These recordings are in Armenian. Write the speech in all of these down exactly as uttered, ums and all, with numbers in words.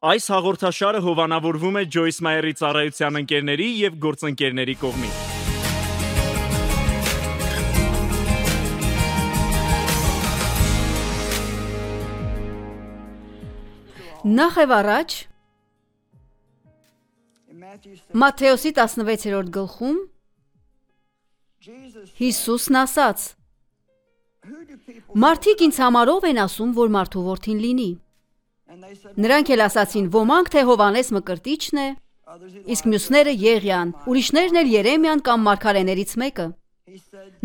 Այս հաղորդաշարը հովանավորվում է Ջոյս Մայերի ծառայության ընկերների և գործընկերների կողմից։ Նախ եւ առաջ Մատթեոսի տասնվեցերորդ գլխում Հիսուսն ասաց. Մարդիկ ինձ համար ով են ասում, որ մարդու որդին լինի։ Նրանք էլ ասացին, ոմանք թե Հովանես Մկրտիչն է, իսկ մյուսները Եղիան, ուրիշներն էլ Երեմիան կամ մարգարեներից մեկը։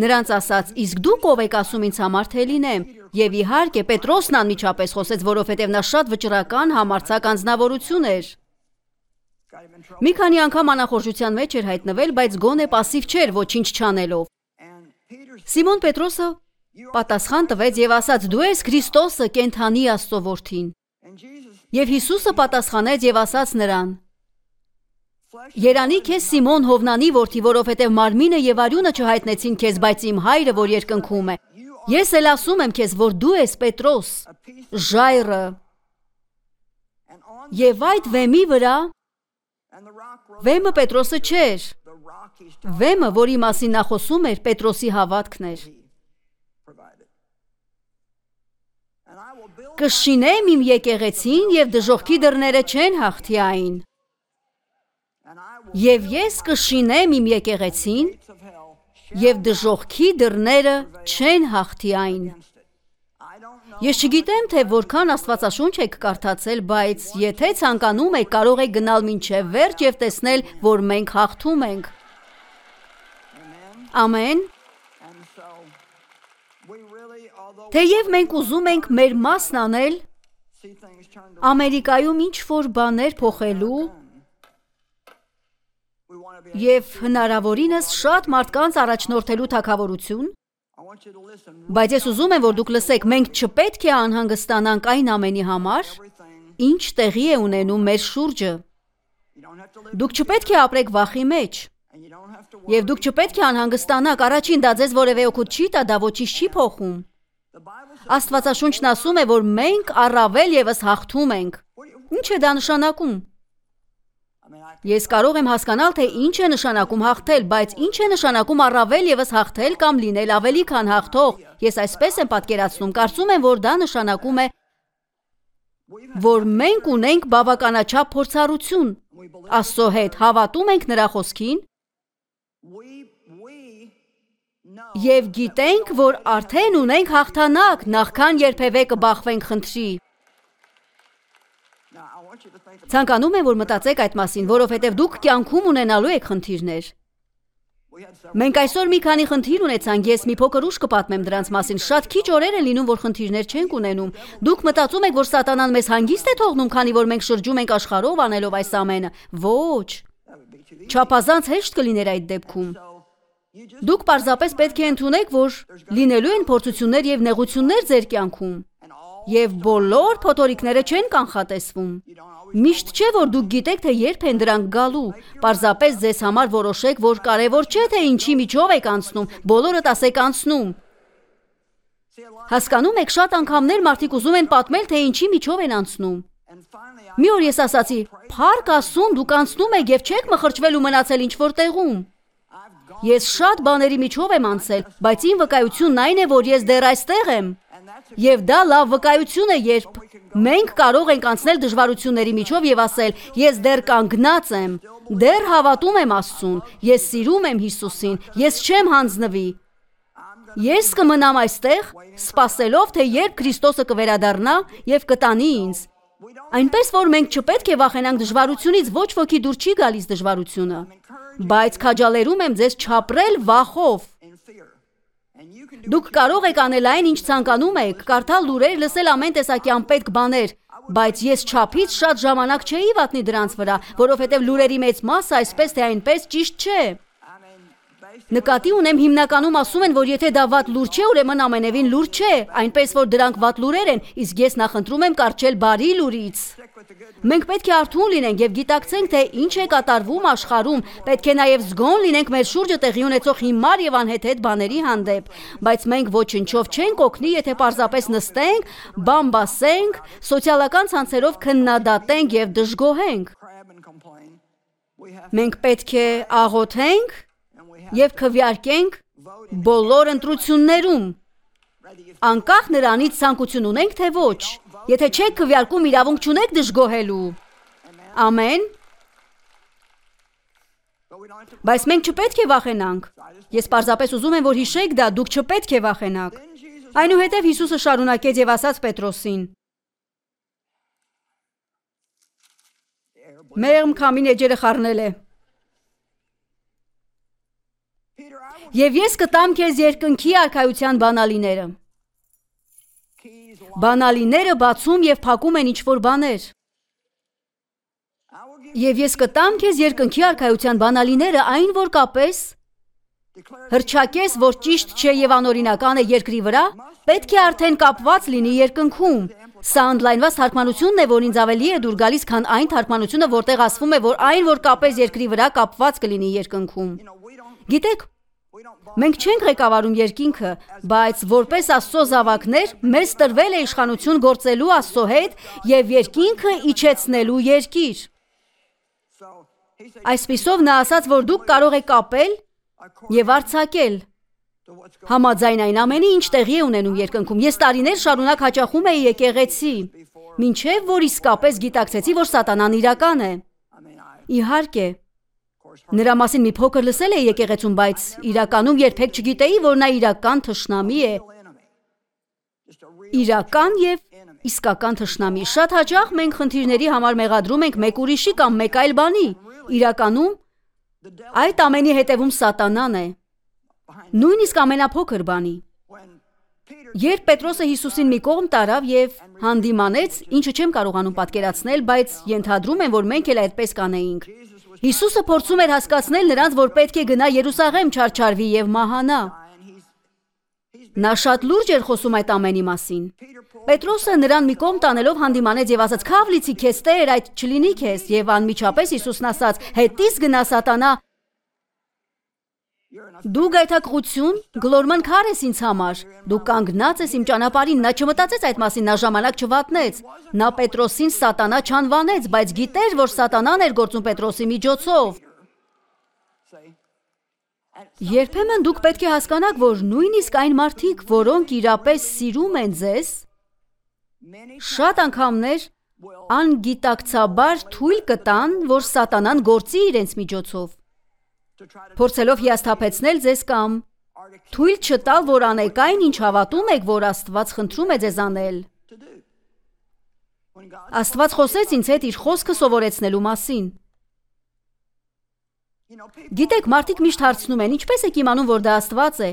Նրանց ասաց, իսկ դուք ով եք ասում ինձ համար թե լինեմ։ Եվ իհարկե Պետրոսն անմիջապես խոսեց, որովհետև նա շատ վճռական համարձակ անձնավորություն էր։ Մի քանի անգամ անախորժության մեջ էր հայտնվել, բայց գոնե պասիվ չէր ոչինչ չանելով։ Սիմոն Պետրոսը պատասխան տվեց եւ ասաց. Դու ես Քրիստոսը, կենդանի Աստծո որդին։ Եվ Հիսուսը պատասխանեց եւ ասաց նրան. Երանի քեզ Սիմոն Հովնանի որդի, որովհետև մարմինը եւ արյունը չհայտնեցին քեզ, բայց իմ Հայրը, որ երկնքում է։ Ես էլ ասում եմ քեզ, որ դու ես Պետրոս, ժայռը։ Եվ այդ վեմի վրա, վեմը Պետրոսը չէր, վեմը, որի մասին նա խոսում էր, Պետրոսի հավատքն էր։ Կշինեմ իմ եկեղեցին և դժոխքի դռները չեն հաղթի այն։ Եվ ես կշինեմ իմ եկեղեցին և դժոխքի դռները չեն հաղթի այն։ Ես չգիտեմ, թե որքան Աստվածաշունչ եք կարդացել, բայց եթե ցանկանում եք, կարող եք գնալ մինչև վերջ և տեսնել, որ մենք հաղթում ենք։ Ամեն։ Թեև մենք ուզում ենք մեր մասն անել, Ամերիկայում ինչ-որ բաներ փոխելու և հնարավորինս շատ մարդկանց առաջնորդելու թագավորություն, բայց ես ուզում եմ, որ դուք լսեք, մենք չպետք է անհանգստանանք այն ամենի համար, ինչ տեղի է ունենում մեր շուրջը։ Դուք չպետք է ապրեք վախի մեջ, և դուք չպետք է անհանգստանաք, առաջին դա ձեզ որևէ օգուտ չի տա, դա ոչինչ չի փոխում։ Աստվածաշունչն ասում է, որ մենք առավել ևս հաղթում ենք։ Ինչ է դա նշանակում։ Ես կարող եմ հասկանալ, թե ինչ է նշանակում հաղթել, բայց ինչ է նշանակում առավել ևս հաղթել կամ լինել ավելի քան հաղթող։ Ես այսպես եմ պատկերացնում, կարծում եմ, որ դա նշանակում է, որ մենք ունենք բավականաչափ փորձառություն։ Աստծո հետ հավատում ենք նրա խոսքին և գիտենք, որ արդեն ունենք հաղթանակ, նախքան երբևէ կբախվենք խնդրի։ Ցանկանում եմ, որ մտածեք այդ մասին, որովհետև դուք կյանքում ունենալու եք խնդիրներ։ Մենք այսօր մի քանի խնդիր ունեցանք, ես մի փոքր ուշ կպատմեմ դրանց մասին։ Շատ քիչ օրեր են լինում, որ խնդիրներ չենք ունենում։ Դուք մտածում եք, որ Սատանան մեզ հանգիստ է թողնում, քանի որ մենք շրջում ենք աշխարհով անելով այս ամենը։ Ոչ։ Չափազանց հեշտ կլիներ այդ դեպքում։ Դուք պարզապես պետք է ընդունեք, որ լինելու են փորձություններ և նեղություններ ձեր կյանքում, և բոլոր փոթորիկները չեն կանխատեսվում։ Միշտ չէ, որ դուք գիտեք, թե երբ են դրանք գալու, պարզապես ձեզ համար որոշեք, որ կարևոր չէ, թե ինչի միջով եք անցնում, բոլորդ ասեք անցնում։ Հասկանում եք, շատ անգամներ մարդիկ ուզում են պատմել, թե ինչի միջով են անցնում։ Մի օր ես ասացի, փառք Աստծուն, դուք անցնում եք և չեք մխրճվել ու մնացել ինչ-որ տեղում։ Ես շատ բաների միջով եմ անցել, բայց իմ վկայությունն այն է, որ ես դեռ այստեղ եմ։ Եվ դա լավ վկայություն է, երբ մենք կարող ենք անցնել դժվարությունների միջով և ասել, ես դեռ կանգնած եմ, դեռ հավատում եմ Աստծուն, ես սիրում եմ Հիսուսին, ես չեմ հանձնվի։ Ես կմնամ այստեղ, սպասելով, թե երբ Քրիստոսը կվերադառնա և կտանի ինձ։ Այնպես որ մենք չպետք է վախենանք դժվարությունից, ոչ ոքի դուր չի գալիս դժվարությունը, բայց քաջալերում եմ ձեզ չապրել վախով։ Դուք կարող եք անել այն, ինչ ցանկանում եք, կարդալ լուրեր, լսել ամեն տեսակի անպետք բաներ, բայց ես չափից շատ ժամանակ չէի վատնի դրանց վրա, որովհետև լուրերի մեծ մասը այսպես թե այնպես ճիշտ չէ։ Նկատի ունեմ հիմնականում ասում են, որ եթե դա վատ լուր չէ, ուրեմն ամենևին լուր չէ, այնպես որ դրանք վատ լուրեր են, իսկ ես նախընտրում եմ կառչել բարի լուրից։ Մենք պետք է արթուն լինենք եւ գիտակցենք, թե ինչ է կատարվում աշխարհում, պետք է նաեւ զգոն լինենք մեր շուրջը տեղի ունեցող հիմար եւ անհեթեթ բաների հանդեպ, բայց մենք ոչնչով չենք օգնի, եթե պարզապես նստենք, բամբասենք, սոցիալական ցանցերով քննադատենք եւ դժգոհենք։ Մենք պետք է աղոթենք եւ քվեարկենք բոլոր ընտրություններում, անկախ նրանից ցանկություն ունենք թե ոչ։ Եթե չեք քվեարկում, իրավունք չունեք դժգոհելու։ Ամեն։ Բայց մենք չպետք է վախենանք։ Ես պարզապես ուզում եմ, որ հիշեք դա, դուք չպետք է վախենաք։ Այնուհետև Հիսուսը շարունակեց եւ ասաց Պետրոսին. Մեղմ քամին էջերը խառնել է։ Եվ ես կտամ քեզ երկնքի արքայության բանալիները։ Բանալիները բացում եւ փակում են ինչ-որ բաներ։ Եվ ես կտամ քեզ երկնքի արքայության բանալիները, այն որ կապես հրճակես, որ ճիշտ չէ եւ անօրինական է երկրի վրա, պետք է արդեն կապված լինի երկնքում։ Սա ընդլայնված թարգմանությունն է, որ ինձ ավելի է դուր գալիս, քան այն թարգմանությունը, որտեղ ասվում է, որ այն, որ կապես երկրի վրա կապված կլինի երկնքում։ Գիտեք, մենք չենք ղեկավարում երկինքը, բայց որպես Աստծո զավակներ մեզ տրվել է իշխանություն գործելու Աստծո հետ եւ երկինքը իջեցնելու երկիր։ Այսպիսով նա ասաց, որ դուք կարող եք կապել եւ արձակել համաձայն այն ամենի, ինչ տեղի է ունենում երկնքում։ Ես տարիներ շարունակ հաճախում էի եկեղեցի, մինչև որ իսկապես գիտակցեցի, որ սատանան իրական է։ Իհարկե, նրա մասին մի փոքր լսել էի եկեղեցում, բայց իրականում երբեք չգիտեի, որ նա իրական թշնամի է։ Իրական եւ իսկական թշնամի։ Շատ հաճախ մենք խնդիրների համար մեղադրում ենք մեկ ուրիշի կամ մեկ այլ բանի։ Իրականում այդ ամենի հետևում սատանան է։ Նույնիսկ ամենափոքր բանի։ Երբ Պետրոսը Հիսուսին մի կողմ տարավ եւ հանդիմանեց, ինչը չեմ կարողանում պատկերացնել, բայց ենթադրում եմ, որ մենք էլ այդպես կանեինք։ Հիսուսը փորձում էր հասկացնել նրանց, որ պետք է գնա Երուսաղեմ չարչարվի եւ մահանա։ Նա շատ լուրջ էր խոսում այդ ամենի մասին։ Պետրոսը նրան մի կողմ տանելով հանդիմանեց եւ ասաց. «Քավլիցի քեզ Տեր, այդ չլինի քեզ»։ Եվ անմիջապես Հիսուսն ասաց. «Հետից գնա սատանա, դու գայթակղություն, գլորման քար ես ինձ համար, դու կանգնած ես իմ ճանապարհին»։ Նա չմտածեց այդ մասին, նա ժամանակ չվատնեց։ Նա Պետրոսին սատանա չանվանեց, բայց գիտեր, որ սատանան էր գործում Պետրոսի միջոցով։ Երբեմն դուք պետք է հասկանաք, որ նույնիսկ այն մարդիկ, որոնք իրապես սիրում են ձեզ, շատ անգամներ անգիտակցաբար թույլ կտան, որ սատանան գործի իրենց միջոցով, փորձելով հիասթափեցնել ձեզ կամ թույլ չտալ, որ անեք այն, ինչ հավատում եք, որ Աստված խնդրում է ձեզ անել։ Աստված խոսեց ինձ հետ իր խոսքը սովորեցնելու մասին։ Գիտեք, մարդիկ միշտ հարցնում են, ինչպես եք իմանում, որ դա Աստված է։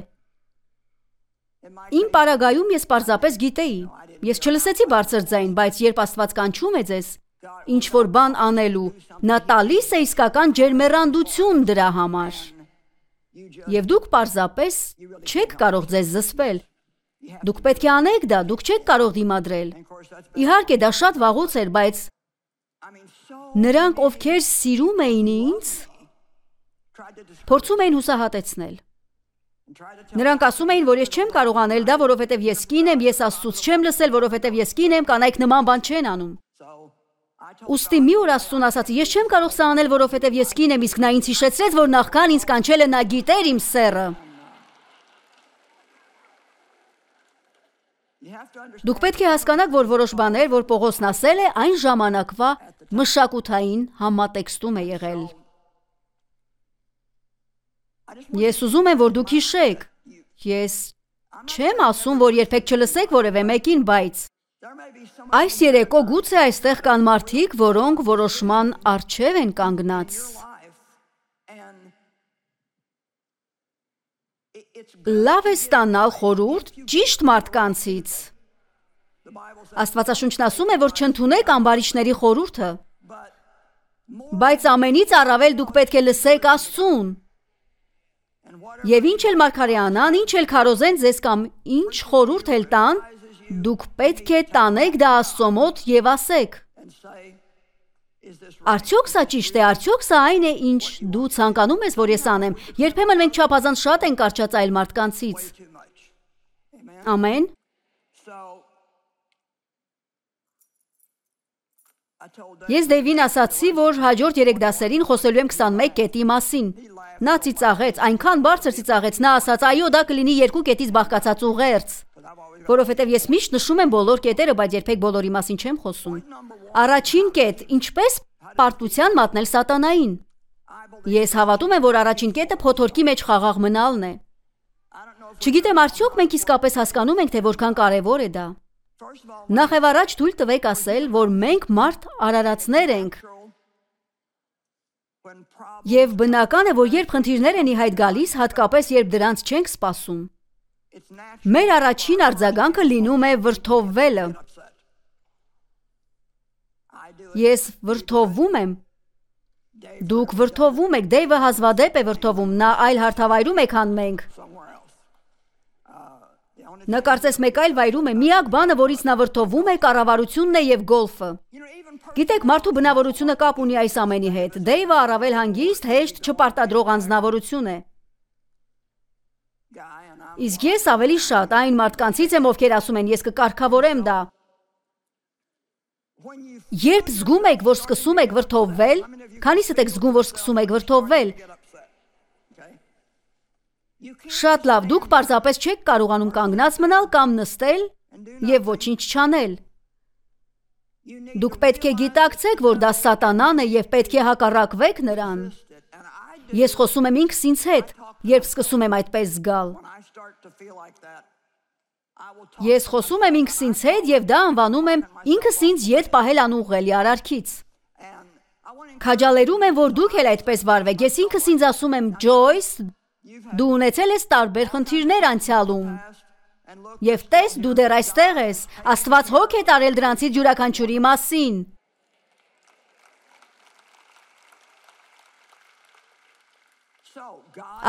Իմ պարագայում ես պարզապես գիտեի։ Ես չլսեցի բարձր ձայն, բայց երբ Աստված կանչում է ձեզ ինչ որ բան անելու, նա տալիս է իսկական ջերմեռանդություն դրա համար։ Եվ դուք պարզապես չեք կարող ձեզ զսպել։ Դուք պետք է անեք դա, դուք չեք կարող դիմադրել։ Իհարկե դա շատ վաղուց էր, բայց նրանք, ովքեր սիրում էին ինձ, փորձում էին հուսահատեցնել։ Նրանք ասում էին, որ ես չեմ կարող անել դա, որովհետև ես կին եմ, ես Աստծուց չեմ լսել, որովհետև ես կին եմ, կանայք նման բան չեն անում։ Ուստի մի օր Աստծուն ասացի, ես չեմ կարող սա անել, որովհետև ես կին եմ, իսկ նա ինձ հիշեցրեց, որ նախքան ինձ կանչելը նա գիտեր իմ սեռը։ Դուք պետք է հասկանաք, որ որոշ բաներ, որ Պողոսն ասել է, այն ժամանակվա մշակութային համատեքստում է եղել։ Ես ուզում եմ, որ դուք հիշեք։ Ես չեմ ասում, որ երբեք չլսեք որևէ մեկին, բայց այս երեկո գուցե այստեղ կան մարդիկ, որոնք որոշման առջև են կանգնած։ Լավ է ստանալ խորհուրդ ճիշտ մարդկանցից։ Աստվածաշունչն ասում է, որ չընդունեք ամբարիշտների խորհուրդը, բայց ամենից առավել դուք պետք է լսեք Աստծուն։ Եվ ինչ էլ մարգարեանան, ինչ էլ քարոզեն ձեզ կամ ինչ խորհուրդ էլ տան, դուք պետք է տանեք դա Աստծո մոտ եւ ասեք. Արդյոք սա ճիշտ է, արդյոք սա այն է, ինչ դու ցանկանում ես, որ ես անեմ։ Երբեմն մենք չափազանց շատ ենք կարճած այլ մարդկանցից։ Ամեն։ Ես Դեյվին ասացի, որ հաջորդ երեք դասերին խոսելու եմ քսանմեկ կետի մասին։ Նա ծիծաղեց, այնքան բարձր ծիծաղեց, նա ասաց, այո, դա կլինի երկու կետից բաղկացած ուղերձ, որովհետև ես միշտ նշում եմ բոլոր կետերը, բայց երբեք բոլորի մասին չեմ խոսում։ Առաջին կետ, ինչպես պարտության մատնել սատանային։ Ես հավատում եմ, որ առաջին կետը փոթորկի մեջ խաղաղ մնալն է։ Չգիտեմ, արդյոք մենք իսկապես հասկանում ենք, թե որքան կարևոր է դա։ Նախ եւ առաջ թույլ տվեք ասել, որ մենք մարդ արարածներ ենք։ Եվ բնական է, որ երբ խնդիրներ են ի հայտ գալիս, հատկապես երբ դրանց չենք սպասում, մեր առաջին արձագանքը լինում է վրդովվելը։ Ես վրդովվում եմ։ Դուք վրդովվում եք, Դեյվը հազվադեպ է վրդովում, նա այլ հարթավայրում է, քան մենք։ Նա կարծես մեկ այլ վայրում է, միակ բանը, որից նա վրդովում է, կառավարությունն է եւ գոլֆը։ Գիտեք, մարդու բնավորությունը կապ ունի այս ամենի հետ։ Դեյվը առավել հանգիստ, հեշտ, չպարտադրող անձնավորություն է։ Իսկ ես ավելի շատ այն մարդկանցից եմ, ովքեր ասում են, ես կկարգավորեմ դա։ Երբ զգում եք, որ սկսում եք վրդովվել, քանիսդ եք զգում, որ սկսում եք վրդովվել։ Շատ լավ, դուք պարզապես չեք կարողանում կանգնած մնալ կամ նստել եւ ոչինչ չանել։ Դուք պետք է գիտակցեք, որ դա սատանան է եւ պետք է հակառակվեք նրան։ Ես խոսում եմ ինքս ինձ հետ, երբ սկսում եմ այդպես զգալ։ Ես խոսում եմ ինքս ինձ հետ եւ դա անվանում եմ ինքս ինձ ետ պահել անուղղելի արարքից։ Քաջալերում եմ, որ դուք էլ այդպես վարվեք։ Ես ինքս ինձ ասում եմ, Ջոյս, դու ունեցել ես տարբեր խնդիրներ անցյալում։ Եվ տես, դու դեռ այստեղ ես, Աստված հոգ է տարել դրանցից յուրաքանչյուրի մասին։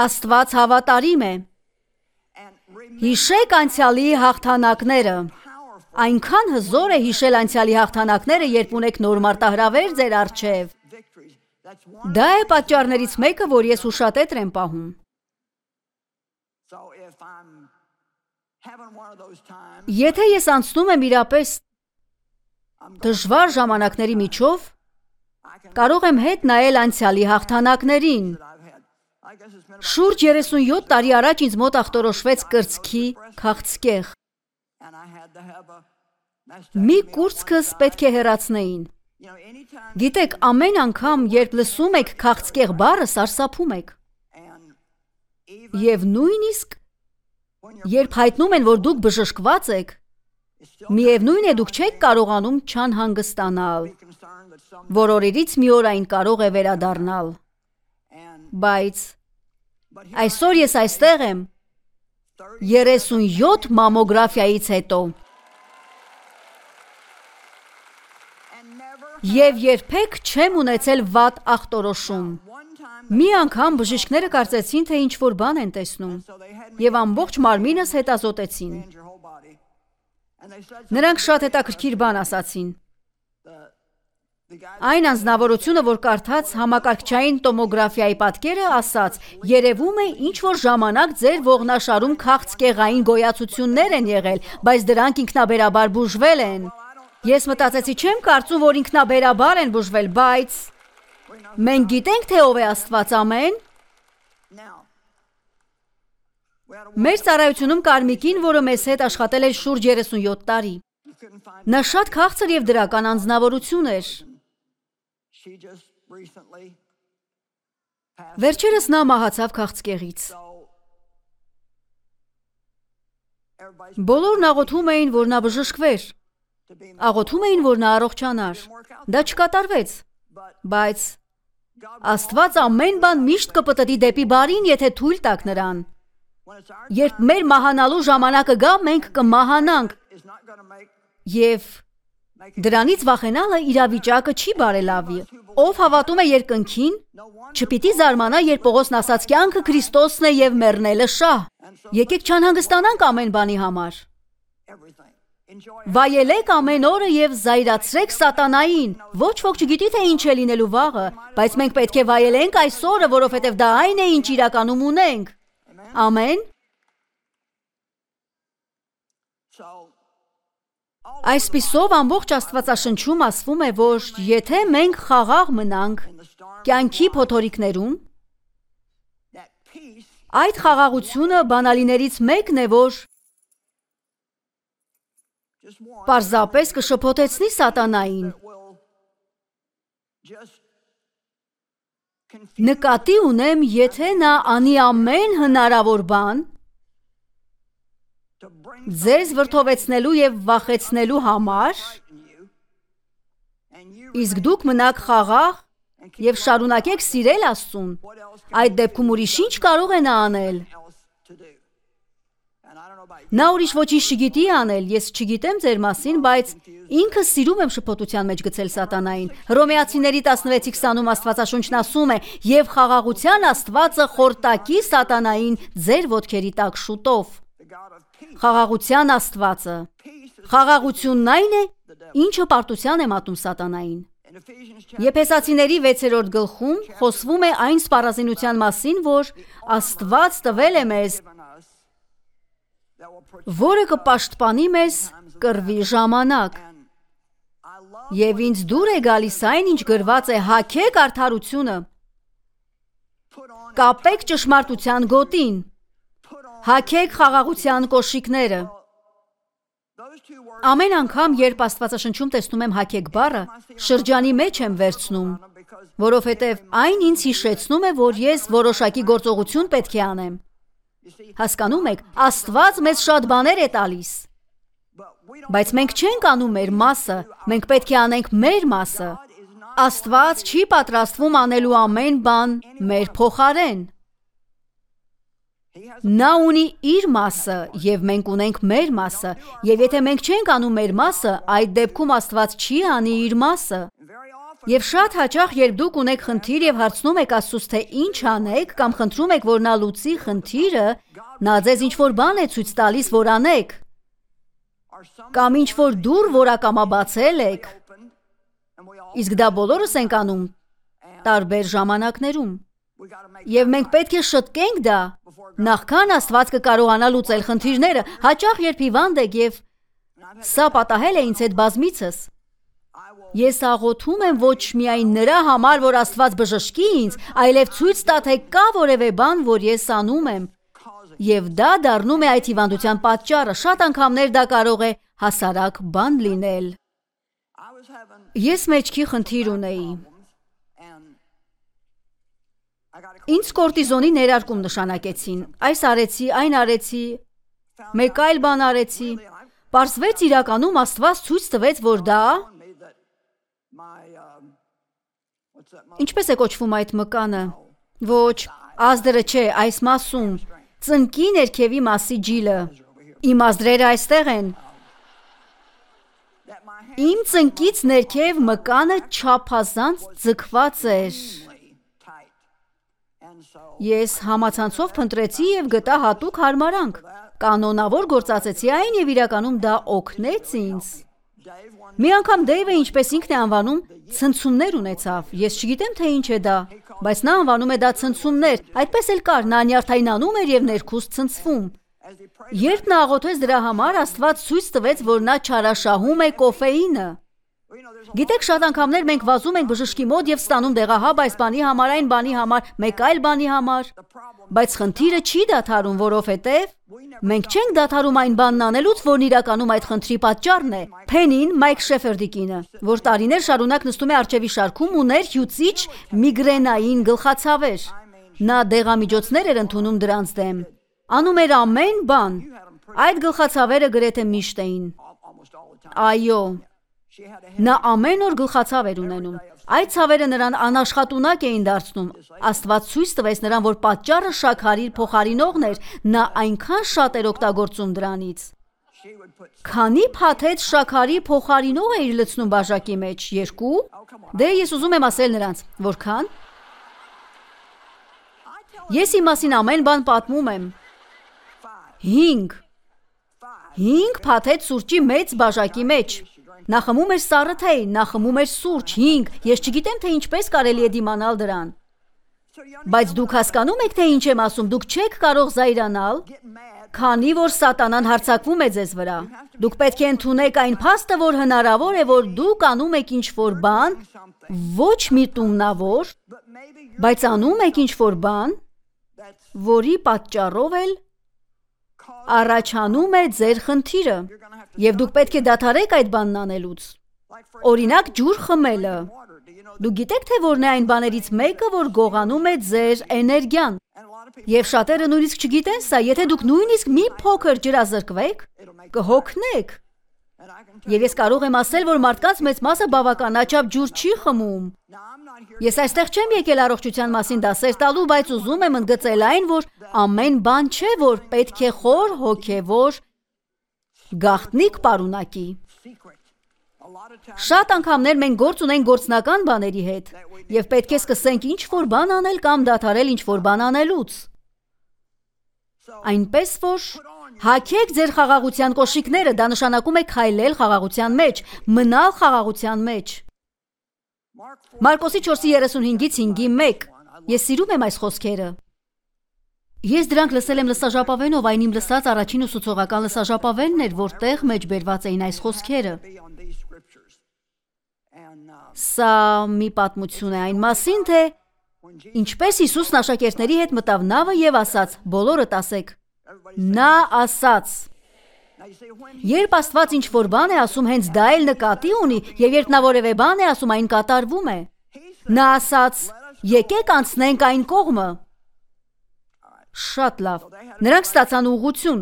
Աստված հավատարիմ է։ Հիշեք անցյալի հաղթանակները։ Այնքան հզոր է հիշել անցյալի հաղթանակները, երբ ունեք նոր մարտահրավեր ձեր առջև։ Դա է պատճառներից մեկը, որ ես ուշատետր եմ պահում։ Եթե ես անցնում եմ իրապես դժվար ժամանակների միջով, կարող եմ հետ նայել անցյալի հաղթանակներին։ Շուրջ երեսունյոթ տարի առաջ ինձ մոտ ախտորոշվեց կրծքի քաղցկեղ։ Մի կուրծքս պետք է հեռացնեին։ Գիտեք, ամեն անգամ, երբ լսում եք քաղցկեղ բառը, սարսափում եք։ Եվ նույնիսկ երբ հայտնում են, որ դուք բժշկված եք, միևնույն է դուք չեք կարողանում չանհանգստանալ, որ օրերից մի օր այն կարող է վերադառնալ։ Բայց այսօր ես այստեղ եմ երեսունյոթ մամոգրաֆիայից հետո։ Եվ երբեք չեմ ունեցել վատ ախտորոշում։ Մի անգամ բժիշկները կարծեցին, թե ինչ-որ բան են տեսնում, եւ ամբողջ մարմինս հետազոտեցին։ Նրանք շատ հետաքրքիր բան ասացին։ Այն անձնավորությունը, որ կարդաց համակարգչային տոմոգրաֆիայի պատկերը, ասաց, երևում է ինչ-որ ժամանակ ձեր ողնաշարում քաղցկեղային գոյացություններ են եղել, բայց դրանք ինքնաբերաբար բուժվել են։ Ես մտածեցի, չեմ կարծում, որ ինքնաբերաբար են բուժվել, բայց մենք գիտենք, թե ով է Աստված, ամեն։ Մեր ծառայությունում կար մի կին, որը մեզ հետ աշխատել էր շուրջ երեսունյոթ տարի։ Նա շատ քաղցր եւ դրական անձնավորություն էր։ Վերջերս նա մահացավ քաղցկեղից։ Բոլորն աղոթում էին, որ նա բժշկվեր։ Աղոթում էին, որ նա առողջանար։ Դա չկատարվեց, բայց Աստված ամեն բան միշտ կպտտի դեպի բարին, եթե թույլ տաք նրան։ Երբ մեր մահանալու ժամանակը գա, մենք կմահանանք։ Եվ դրանից վախենալը իրավիճակը չի բարելավի։ ով հավատում է երկնքին, չպիտի զարմանա, երբ Պողոսն ասաց կյանքը Քրիստոսն է եւ մեռնելը շահ։ Եկեք չանհանգստանանք ամեն բանի համար։ Վայելեք ամեն օրը եւ զայրացրեք սատանային։ Ոչ ոք չգիտի թե ինչ է լինելու վաղը, բայց մենք պետք է վայելենք այս օրը, որովհետեւ դա այն է, ինչ իրականում ունենք։ Ամեն։ Այսպիսով ամբողջ Աստվածաշնչում ասվում է, որ եթե մենք խաղաղ մնանք կյանքի փոթորիկներում, այդ խաղաղությունը բանալիներից մեկն է, որ պարզապես կշփոթեցնի սատանային։ Նկատի ունեմ, եթե նա անի ամեն հնարավոր բան ձեզ վրդովեցնելու եւ վախեցնելու համար, իսկ դուք մնաք խաղաղ եւ շարունակեք սիրել Աստծուն, այդ դեպքում ուրիշ ինչ կարող է նա անել։ Նա ուրիշ ոչինչ չգիտի անել, ես չգիտեմ ձեր մասին, բայց ինքը սիրում եմ շփոթության մեջ գցել սատանային։ Հռոմեացիների տասնվեցի քսանում Աստվածաշունչն ասում է. «Եվ խաղաղության Աստվածը խորտակի սատանային ձեր ոտքերի տակ շուտով»։ Խաղաղության Աստվածը։ Խաղաղությունն այն է, ինչը պարտության է մատնում սատանային։ Եփեսացիների վեցերորդ գլխում խոսվում է այն սպառազինության մասին, որ Աստված տվել է մեզ, որը կպաշտպանի մեզ կռվի ժամանակ։ Եվ ինձ դուր է գալիս այն, ինչ գրված է. հագեք արդարությունը, կապեք ճշմարտության գոտին, հագեք խաղաղության կոշիկները։ Ամեն անգամ, երբ Աստվածաշնչում տեսնում եմ հագեք բառը, շրջանի մեջ եմ վերցնում, որովհետև այն ինձ հիշեցնում է, որ ես որոշակի գործողություն պետք է անեմ։ Հասկանում եք, Աստված մեզ շատ բաներ է տալիս, բայց մենք չենք անում մեր մասը, մենք պետք է անենք մեր մասը։ Աստված չի պատրաստվում անելու ամեն բան մեր փոխարեն։ Նա ունի իր մասը, եւ մենք ունենք մեր մասը, եւ եթե մենք չենք անում մեր մասը, այդ դեպքում Աստված չի անի իր մասը։ Եվ շատ հաճախ, երբ դուք ունեք խնդիր եւ հարցնում եք Աստծուց, թե ինչ անեք, կամ խնդրում եք, որ նա լուծի խնդիրը, նա ձեզ ինչ-որ բան է ցույց տալիս, որ անեք, կամ ինչ-որ դուռ որակամաբացել եք, իսկ դա բոլորս ենք անում տարբեր ժամանակներում։ Եվ մենք պետք է շտկենք դա, նախքան Աստված կկարողանա լուծել խնդիրները։ Հաճախ, երբ հիվանդ եք, եւ սա պատահել է ինձ հետ բազմիցս, ես աղոթում եմ ոչ միայն նրա համար, որ Աստված բժշկի ինձ, այլև ցույց տա, թե կա որևէ բան, որ ես անում եմ, եւ դա դառնում է այդ հիվանդության պատճառը։ Շատ անգամներ դա կարող է հասարակ բան լինել։ Ես մեջքի խնդիր ունեի։ Ինձ կորտիզոնի ներարկում նշանակեցին։ Այս արեցի, այն արեցի, մեկ այլ բան արեցի։ Պարզվեց իրականում Աստված ցույց տվեց, որ դա ինչպես է կոչվում այդ մկանը։ Ոչ, ազդրը չէ, այս մասում, ծնկի ներքևի մասի ջիլը։ Իմ ազդրերը այստեղ են։ Իմ ծնկից ներքև մկանը չափազանց ձգված էր։ Ես համացանցով փնտրեցի եւ գտա հատուկ հարմարանք։ Կանոնավոր գործածեցի այն եւ իրականում դա օգնեց ինձ։ Մի անգամ Դեյվը, ինչպես ինքն է անվանում, ցնցումներ ունեցավ։ Ես չգիտեմ, թե ինչ է դա, բայց նա անվանում է դա ցնցումներ։ Այդպես էլ կար, նա նյարդայնանում էր եւ ներքուստ ցնցվում։ Երբ նա աղոթեց դրա համար, Աստված ցույց տվեց, որ նա չարաշահում է կոֆեինը։ Գիտեք, շատ անգամներ մենք վազում ենք բժշկի մոտ եւ ստանում դեղահաբ այս բանի համար, այն բանի համար, մեկ այլ բանի համար, բայց խնդիրը չի դադարում, որովհետեւ մենք չենք դադարում այն բանն անելուց, որն իրականում այդ խնդրի պատճառն է։ Փենին, Մայք Շեֆերդի կինը, որ տարիներ շարունակ նստում է առջևի շարքում, ուներ հյուծիչ միգրենային գլխացավեր։ Նա դեղամիջոցներ էր ընդունում դրանց դեմ, անում էր ամեն բան։ Այդ գլխացավերը գրեթե միշտ էին։ Այո, նա ամեն օր գլխացավ էր ունենում։ Այդ ցավերը նրան անաշխատունակ էին դարձնում։ Աստված ցույց տվեց նրան, որ պատճառը շաքարի փոխարինողն էր, նա այնքան շատ էր օգտագործում դրանից։ Քանի փաթեթ շաքարի փոխարինող էիր լցնում բաժակի մեջ, երկու։ Դե ես ուզում եմ ասել նրանց, որքան։ Ես իմ մասին ամեն բան պատմում եմ։ Հինգ։ Հինգ փաթեթ սուրճի մեծ բաժակի մեջ։ Նա խմում էր սառը թեյ, նա խմում էր սուրճ, հինգ։ Ես չգիտեմ, թե ինչպես կարելի է դիմանալ դրան։ Բայց դուք հասկանում եք, թե ինչ եմ ասում, դուք չեք կարող զայրանալ, քանի որ սատանան հարձակվում է ձեզ վրա։ Դուք պետք է ընդունեք այն փաստը, որ հնարավոր է, որ դուք անում եք ինչ-որ բան, ոչ միտումնավոր, բայց անում եք ինչ-որ բան, որի պատճառով էլ առաջանում է ձեր խնդիրը, եւ դուք պետք է դադարեք այդ բանն անելուց։ Օրինակ, ջուր խմելը։ Դուք գիտեք, թե որն է այն բաներից մեկը, որ գողանում է ձեր էներգիան։ Եվ շատերը նույնիսկ չգիտեն սա, եթե դուք նույնիսկ մի փոքր ջրազրկվեք, կհոգնեք։ Եվ ես կարող եմ ասել, որ մարդկանց մեծ մասը բավականաչափ ջուր չի խմում։ Ես այստեղ չեմ եկել առողջության մասին դասեր տալու, բայց ուզում եմ ընդգծել այն, որ ամեն բան չէ, որ պետք է խոր հոգևոր գաղտնիք պարունակի։ Շատ անգամներ մենք գործ ունենք գործնական բաների հետ, եւ պետք է սկսենք ինչ-որ բան անել կամ դադարել ինչ-որ բան անելուց։ Այնպես որ հագեք ձեր խաղաղության կոշիկները, դա նշանակում է քայլել խաղաղության մեջ, մնալ խաղաղության մեջ։ Մարկոսի չորսի երեսունհինգից հինգի մեկ։ Ես սիրում եմ այս խոսքերը։ Ես դրանք լսել եմ լսաժապավենով, այն իմ լսած առաջին ուսուցողական լսաժապավենն էր, որտեղ մեջ բերված էին այս խոսքերը։ Սա մի պատմություն է այն մասին, թե ինչպես Հիսուսն աշակերտների հետ մտավ նավը եւ ասաց. բոլորդ ասեք։ Նա ասաց. Երբ Աստված ինչ-որ բան է ասում, հենց դա էլ նկատի ունի, եւ երբ նա որևէ բան է ասում, այն կատարվում է։ Նա ասաց. եկեք անցնենք այն կողմը։ Շատ լավ։ Նրանք ստացան ուղղություն։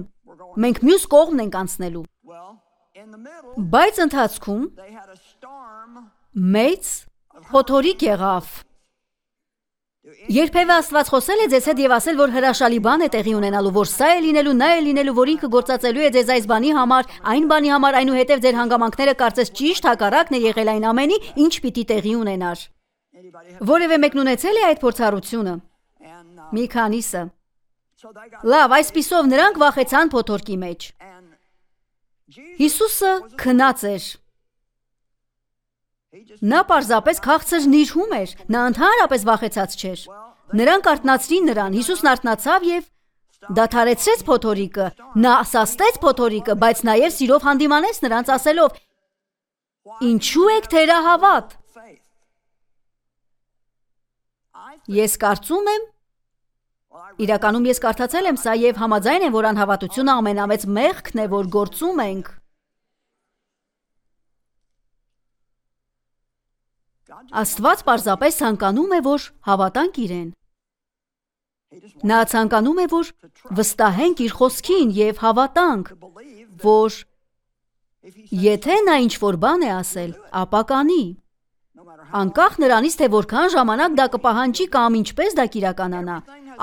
Մենք մյուս կողմն ենք անցնելու։ Բայց ընթացքում մեծ փոթորիկ եղավ։ Երբևէ Աստված խոսել է ձեզ հետ եւ ասել, որ հրաշալի բան է տեղի ունենալու, որ սա է լինելու, նա է լինելու, որ ինքը գործածելու է ձեզ այս բանի համար, այն բանի համար, այնուհետև ձեր հանգամանքները կարծես ճիշտ հակառակն է եղել այն ամենի, ինչ պիտի տեղի ունենար։ Որևէ մեկն ունեցել է այդ փորձառությունը։ Մի քանիսը։ Լավ, այսպիսով նրանք վախեցան փոթորկի մեջ։ Հիսուսը քնած էր։ Նա պարզապես քաղցր նիրհում էր, նա ընդհանրապես վախեցած չէր։ Նրանք արթնացրին նրան, Հիսուսն արթնացավ եւ դադարեցրեց փոթորիկը, նա սաստեց փոթորիկը, բայց նաեւ սիրով հանդիմանեց նրանց ասելով. Ինչու եք թերահավատ։ Ես կարծում եմ, իրականում ես կարդացել եմ սա եւ համաձայն եմ, որ անհավատությունը ամենամեծ մեղքն է, որ գործում ենք։ Աստված պարզապես ցանկանում է, որ հավատանք իրեն։ Նա ցանկանում է, որ վստահենք իր խոսքին եւ հավատանք, որ եթե նա ինչ-որ բան է ասել, ապա կանի։ Անկախ նրանից, թե որքան ժամանակ դա կպահանջի կամ ինչպես դա կիրականանա,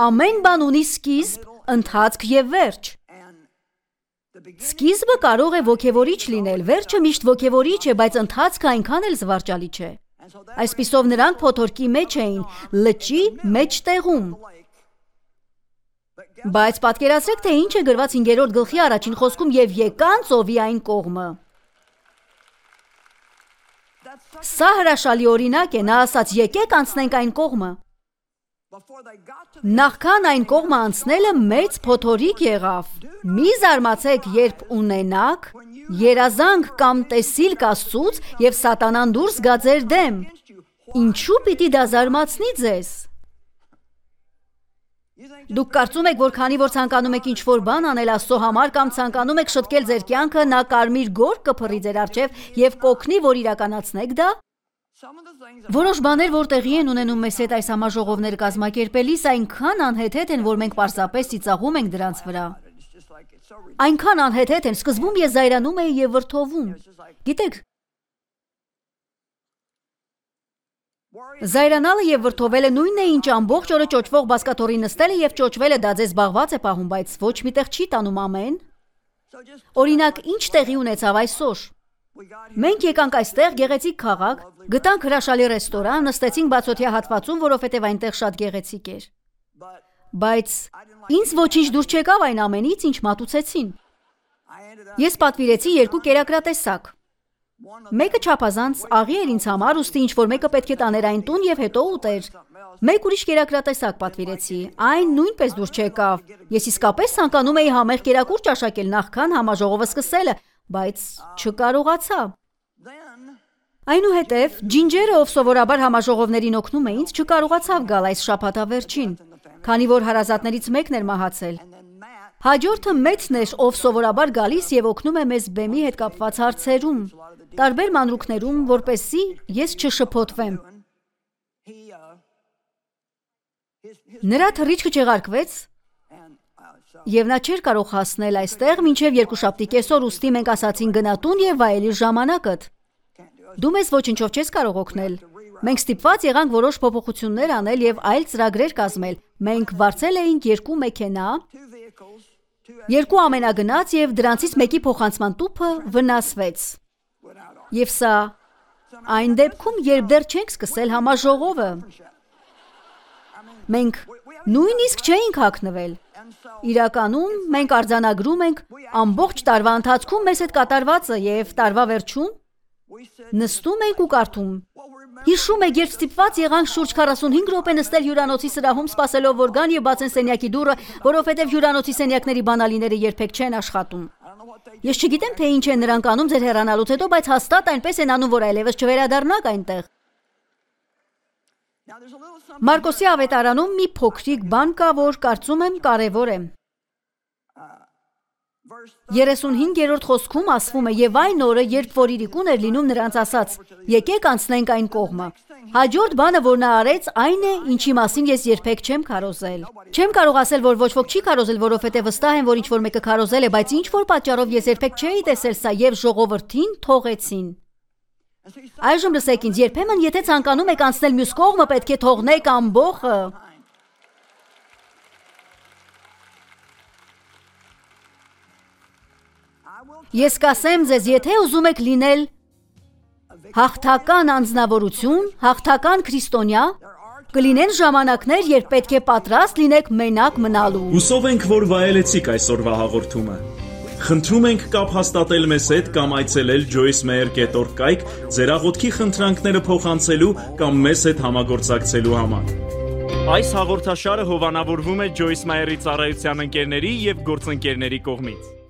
ամեն բան ունի սկիզբ, ընթացք եւ վերջ։ Սկիզբը կարող է ոգևորիչ լինել, վերջը միշտ ոգևորիչ է, բայց ընթացքը այնքան էլ զվարճալի չէ։ Այսպիսով նրանք փոթորկի մեջ էին, լճի մեջտեղում։ Բայց պատկերացրեք, թե ինչ է գրված հինգերորդ գլխի առաջին խոսքում եւ եկան ծովի այն կողմը։ Սա հրաշալի օրինակ է, նա ասաց. եկեք անցնենք այն կողմը։ Նախքան այն կողմը անցնելը մեծ փոթորիկ եղավ։ Մի զարմացեք, երբ ունենաք երազանք կամ տեսիլք Աստծուց եւ սատանան դուրս գա ձեր դեմ։ Ինչու պիտի դա զարմացնի ձեզ։ Դուք կարծում եք, որ քանի որ ցանկանում եք ինչ-որ բան անել Աստծո համար կամ ցանկանում եք շտկել ձեր կյանքը, նա կարմիր գոր կփռի ձեր առջև եւ կօգնի, որ իրականացնեք դա։ Որոշ բաներ, որ տեղի են ունենում մեզ հետ այս համաժողովներ կազմակերպելիս, այնքան անհեթեթ են, որ մենք պարզապես ծիծաղում ենք դրանց վրա։ Այնքան անհեթեթ են, սկզբում ես զայրանում էի եւ վրդովում։ Գիտեք, զայրանալը եւ վրդովելը նույնն է, ինչ ամբողջ օրը ճոճվող բազկաթոռի նստելը եւ ճոճվելը, դա ձեզ զբաղված է պահում, բայց ոչ միտեղ չի տանում ամեն։ Օրինակ, ինչ տեղի ունեցավ այսօր։ Մենք եկանք այստեղ գեղեցիկ քաղաք, գտանք հրաշալի ռեստորան, նստեցինք բացօթյա հատվածում, որովհետև այնտեղ շատ գեղեցիկ էր։ Բայց ինձ ոչինչ դուր չեկավ այն ամենից, ինչ մատուցեցին։ Ես պատվիրեցի երկու կերակրատեսակ։ Մեկը չափազանց աղի էր ինձ համար, ուստի ինչ որ մեկը պետք է տաներ այն տուն եւ հետո ուտեր։ Մեկ ուրիշ կերակրատեսակ պատվիրեցի, այն նույնպես դուր չեկավ։ Ես իսկապես ցանկանում էի համեղ կերակուր ճաշակել նախքան համաժողովը սկսելը, բայց չկարողացա։ Այնուհետև ջինջերը, ով սովորաբար համաժողովներին օգնում է ինձ, չկարողացավ գալ այս շաբաթավերջին, քանի որ հարազատներից մեկն էր մահացել։ Հաջորդը մեծն էր, ով սովորաբար գալիս եւ օգնում է մեզ բեմի հետ կապված հարցերում, տարբեր մանրուքներում, որպեսզի ես չշփոթվեմ։ Նրա թռիչքը չեղարկվեց եւ նա չէր կարող հասնել այստեղ մինչեւ երկուշաբթի կեսօր, ուստի մենք ասացին գնա տուն եւ վայելի ժամանակդ։ Դու մեզ ոչինչով չես կարող օգնել։ Մենք ստիպված եղանք որոշ փոփոխություններ անել եւ այլ ծրագրեր կազմել։ Մենք վարձել էինք երկու մեքենա, երկու ամենագնաց եւ դրանցից մեկի փոխանցման տուփը վնասվեց։ Եվ սա այն դեպքում, երբ դեռ չենք սկսել համաժողովը։ Մենք նույնիսկ չէինք հագնվել։ Իրականում մենք արձանագրում ենք ամբողջ տարվա ընթացքում մեզ հետ կատարվածը եւ տարվա վերջում նստում ենք ու կարդում։ Հիշում եք, երբ ստիպված եղանք շուրջ քառասունհինգ րոպե նստել հյուրանոցի սրահում սպասելով, որ գան եւ բացեն սենյակի դուռը, որովհետեւ հյուրանոցի սենյակների բանալիները երբեք չեն աշխատում։ Ես չգիտեմ, թե ինչ են նրանք անում ձեր հեռանալուց հետո, բայց հաստատ այնպես են անում, որ այլևս չվերադառնաք այնտեղ։ Մարկոսի ավետարանում մի փոքրիկ բան կա, որ կարծում եմ կարևոր է։ երեսունհինգերորդ խոսքում ասվում է, եւ այն օրը, երբ որ իրիկուն էր լինում, նրանց ասաց. եկեք անցնենք այն կողմը։ Հաջորդ բանը, որ նա արեց, այն է, ինչի մասին ես երբեք չեմ քարոզել։ Չեմ կարող ասել, որ ոչ ոք չի քարոզել, որովհետև վստահ եմ, որ ինչ որ մեկը քարոզել է, բայց ինչ որ պատճառով ես երբեք չէի տեսել սա եւ ժողովրդին թողեցին։ Այժմ լսեք ինձ, երբեմն եթե ցանկանում եք անցնել մյուս կողմը, պետք է թողնեք ամբողը։ Ես կասեմ ձեզ, եթե ուզում եք լինել հաղթական անձնավորություն, հաղթական քրիստոնյա, կլինեն ժամանակներ, երբ պետք է պատրաստ լինեք մենակ մնալու։ Հուսով ենք, որ վայելեցիք այսօրվա հաղորդումը։ Խնդրում ենք կապ հաստատել մեզ հետ կամ այցելել joyce meyer dot org կայք ձեր աղոթքի խնդրանքները փոխանցելու կամ մեզ հետ համագործակցելու համար։ Այս հաղորդաշարը հովանավորվում է Joyce Meyer-ի ծառայության ընկերների եւ գործընկերների կողմից։